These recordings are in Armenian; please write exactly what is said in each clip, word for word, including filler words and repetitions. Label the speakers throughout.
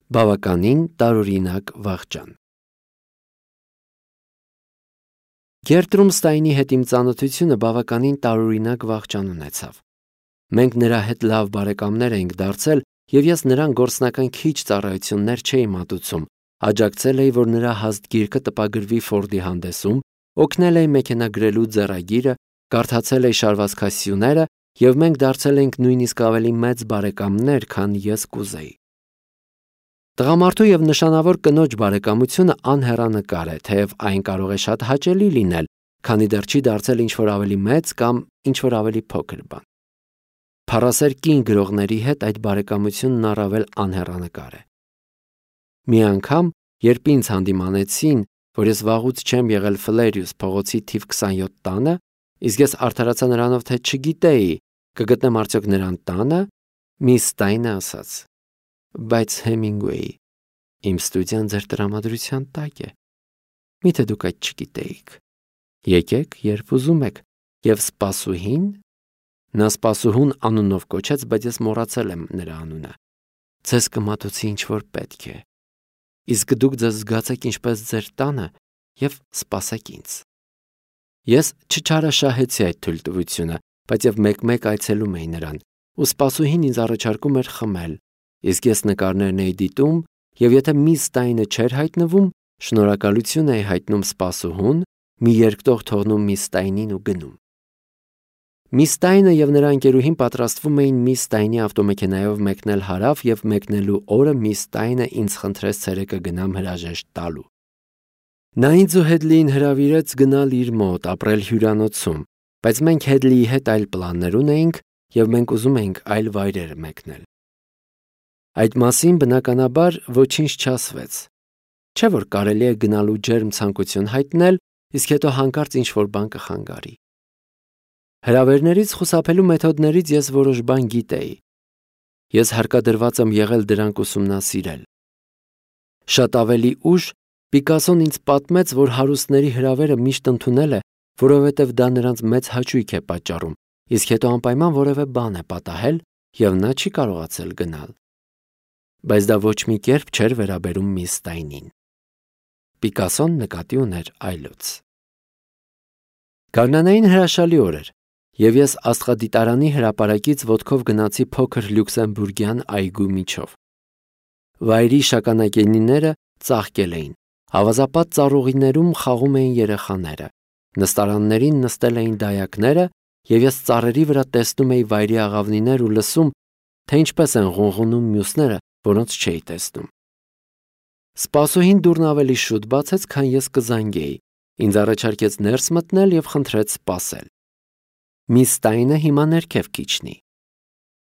Speaker 1: Բավականին տարօրինակ վախճան։ Գերտրումստայնի հետ իմ ծանոթությունը բավականին տարօրինակ վախճան ունեցավ։ Մենք նրա հետ լավ բարեկամներ էինք դարձել, եւ ես նրան գործնական քիչ ծառայություններ չէի մատուցում, աջակցել էի, որ նրա հաստ գիրքը տպագրվի Ֆորդի հանդեսում, օգնել էի մեքենա գրելու ձեռագիրը, կարդացել էի շարվածքասյուները, եւ մենք դարձել էինք նույնիսկ ավելի մեծ բարեկամներ, քան ես կուզեի։ Տղամարդու եւ նշանավոր կնոջ բարեկամությունը անհեռանկար է, թեև այն կարող է շատ հաճելի լինել, քանի դեռ չի դարձել ինչ-որ ավելի մեծ կամ ինչ-որ ավելի փոքր բան։ Փառասեր կին գրողների հետ այդ բարեկամությունն առավել անհեռանկար է։ Մի անգամ, երբ ինձ հանդիմանեցին, որ ես վաղուց չեմ եղել Ֆլերիուս փողոցի թիվ քսանյոթ տանը, իսկ ես արդարացա նրանով, թե չգիտեի, կգտնեմ արդյոք նրան տանը, միս Ստայնը ասաց. Բայց Հեմինգուեյ, իմ ստուդիան ձեր տրամադրության տակ է։ Միթե դուք այդ չգիտեիք։ Եկեք, երբ ուզում եք, եւ սպասուհին, նա սպասուհուն անունով կոչեց, բայց ես մոռացել եմ նրա անունը, ձեզ կմատուցի ինչ որ պետք է։ Իսկ դուք ձեզ զգացեք ինչպես ձեր տանը եւ սպասեք ինձ։ Ես չչարաշահեցի այդ թույլտվությունը, բայց եւ մեկ-մեկ այցելում էի նրան, ու սպասուհին ինձ առաջարկում էր խմել, իսկ ես նկարներն էի դիտում, եւ եթե միս Ստայնը չէր հայտնվում, շնորհակալություն էի հայտնում սպասուհուն, մի երկտող թողնում միս Ստայնին ու գնում։ Միս Ստայնը եւ նրա ընկերուհին պատրաստվում էին միս Ստայնի ավտոմեքենայով մեկնել հարավ եւ մեկնելու օրը միս Ստայնը ինձ խնդրեց ցերեկը գնամ հրաժեշտ տալու։ Նա ինձ ու Հեդլիին հրավիրեց գնալ իր մոտ, ապրել հյուրանոցում, բայց մենք Հեդլիի հետ այլ պլաններ ունեինք եւ մենք ուզում էինք այլ վայրեր մեկնել։ Այդ մասին բնականաբար ոչինչ չասվեց։ Չէ՞ որ կարելի է գնալու ջերմ ցանկություն հայտնել, իսկ հետո հանկարծ ինչ-որ բան կխանգարի։ Հրավերներից խուսափելու մեթոդներից ես որոշ բան գիտեի։ Ես հարկադրված եմ եղել դրանք ուսումնասիրել։ Շատ ավելի ուշ Պիկասոն ինձ պատմեց, որ հարուստների հրավերը միշտ ընդունել է, որովհետև դա նրանց մեծ հաճույք է պատճառում, իսկ հետո անպայման որևէ բան է պատահել, եւ նա չի կարողացել գնալ։ Բայց դա ոչ մի կերպ չէր վերաբերում միս Ստայնին։ Պիկասոն նկատի ուներ այլոց։ Գարնանային հրաշալի օր էր, եւ ես աստղադիտարանի հրապարակից ոտքով գնացի փոքր լյուքսեմբուրգյան այգու միջով։ Վայրի շագանակենիները ծաղկել էին, ավազապատ ծառուղիներում խաղում էին երեխաները, նստարաններին նստել էին դայակները, եւ ես ծառերի վրա տեսնում էի վայրի աղավնիներ ու լսում, թե ինչպես են ղունղունում մյուսները, որոնց չէի տեսնում։ Սպասուհին դուռն ավելի շուտ բացեց, քան ես կզանգեի, ինձ առաջարկեց ներս մտնել եւ խնդրեց սպասել։ Միս Ստայնը հիմա ներքև քիչնի։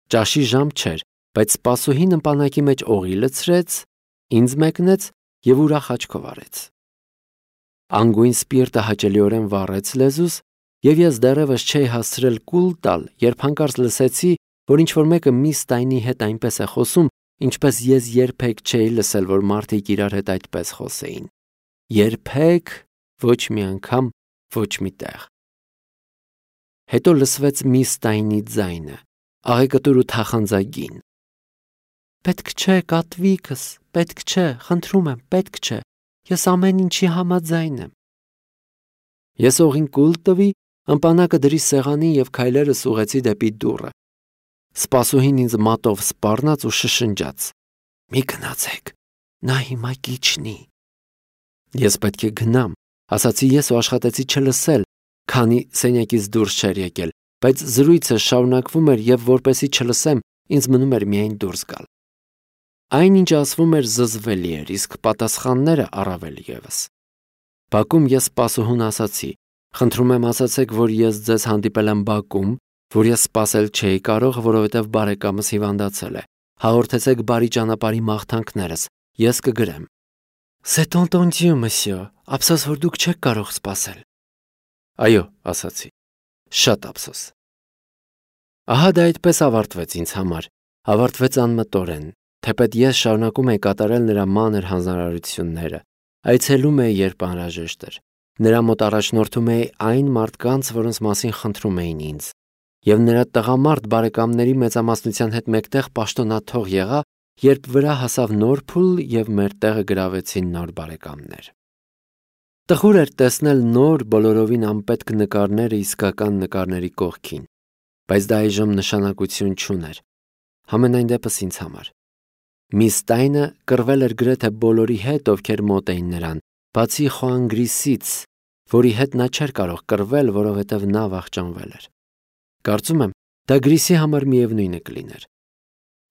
Speaker 1: Ճաշի ժամ չէր, բայց սպասուհին ըմպանակի մեջ օղի լցրեց, ինձ մեկնեց եւ ուրախ աչքով արեց։ Անգույն սպիրտը հաճելիորեն վառեց լեզուս, եւ ես դեռևս չէի հասցրել կուլ տալ, երբ հանկարծ լսեցի, որ ինչ-որ մեկը միս Ստայնի հետ այնպես է խոսում, ինչպես ես երբեք չէի լսել, որ մարդիկ իրար հետ այդպես խոսեին։ Երբեք, ոչ մի անգամ, ոչ մի տեղ։ Հետո լսվեց միս Ստայնի ձայնը, աղեկտուր ու թախանձագին։ Պետք չէ, կատվիկս, պետք չէ, խնդրում եմ, պետք չէ, ես ամեն ինչի համաձայն եմ։ Ես օղին կուլ տվի, ըմպանակը դրի սեղանին եւ քայլերս ուղեցի դեպի դուռը։ Սպասուհին ինձ մատով սպառնաց ու շշնջաց. Մի գնացեք, նա հիմա կիչնի։ Ես պետք է գնամ, ասացի ես ու աշխատեցի չլսել, քանի սենյակից դուրս չէր եկել, բայց զրույցը շարունակվում էր եւ որպեսի չլսեմ, ինձ մնում էր միայն դուրս գալ։ Այն ինչ ասվում էր զզվելի էր, իսկ պատասխանները առավել եւս։ Բակում ես սպասուհուն ասացի. Խնդրում եմ ասացեք, որ ես ձեզ հանդիպել եմ բակում, որ ես սպասել չէի կարող, որովհետև բարեկամս հիվանդացել է։ Հաղորդեցեք բարի ճանապարհի մաղթանքներս, ես կգրեմ։ C'est entendu, monsieur, ափսոս որ դուք չեք կարող սպասել։ Այո, ասացի։ Շատ ափսոս։ Ահա դա այդպես ավարտվեց ինձ համար, ավարտվեց անմտորեն, թեպետ ես շարունակում էի կատարել նրա մանր հանձնարարությունները, այցելում էի, երբ անհրաժեշտ էր։ Նրա մոտ առաջնորդում էի այն մարդկանց, որոնց մասին խնդրում էին ինձ, եւ նրա տղամարդ բարեկամների մեծամասնության հետ մեկտեղ պաշտոնաթող եղա, երբ վրա հասավ նոր փուլ եւ մեր տեղը գրավեցին նոր բարեկամներ։ Տխուր էր տեսնել նոր բոլորովին անպետք նկարները իսկական նկարների կողքին, բայց դա այժմ նշանակություն չուներ, համենայն դեպս ինձ համար։ Միս Ստայնը կռվել էր գրեթե բոլորի հետ, ովքեր մոտ էին նրան, բացի Խոան Գրիսից, որի հետ նա չէր կարող կռվել, որովհետև նա վախճանվել էր։ Կարծում եմ, դա Գրիսի համար միևնույնը կլիներ։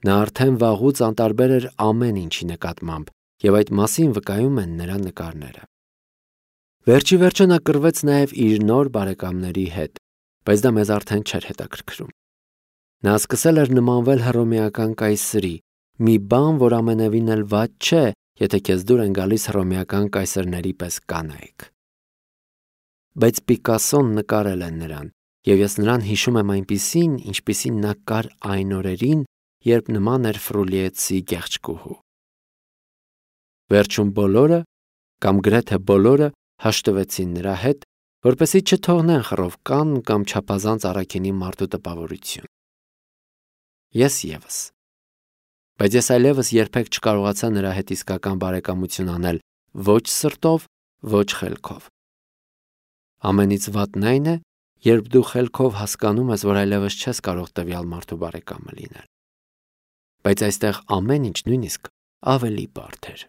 Speaker 1: Նա արդեն վաղուց անտարբեր էր ամեն ինչի նկատմամբ, եւ այդ մասին վկայում են նրա նկարները։ Վերջի վերջը նա կռվեց նաև իր նոր բարեկամների հետ, բայց դա մեզ արդեն չէր հետաքրքրում։ Նա սկսել էր նմանվել հռոմեական կայսրի, մի բան, որ ամենևին էլ վատ չէ, եթե քեզ դուր են գալիս հռոմեական կայսրների պես կանայք։ Բայց Պիկասոն նկարել է նրան, եւ ես նրան հիշում եմ այնպիսին, ինչպիսին նա կար այն օրերին, երբ նման էր Ֆրուլիեցի գեղեցկուհու։ Վերջում բոլորը, կամ գրեթե բոլորը, հաշտվեցին նրա հետ, որպեսզի չթողնեն խռովկան կամ չափազանց առաքինի մարդու տպավորություն։ Ես ևս։ Բայց ես այլևս երբեք չկարողացա նրա հետ իսկական բարեկամություն անել ոչ սրտով, ոչ խելքով։ Ամենից վատն այն է, երբ դու խելքով հասկանում ես, որ այլևս չես կարող տվյալ մարդու բարեկամը լինել։ Բայց այստեղ ամեն ինչ նույնիսկ ավելի բարդ էր։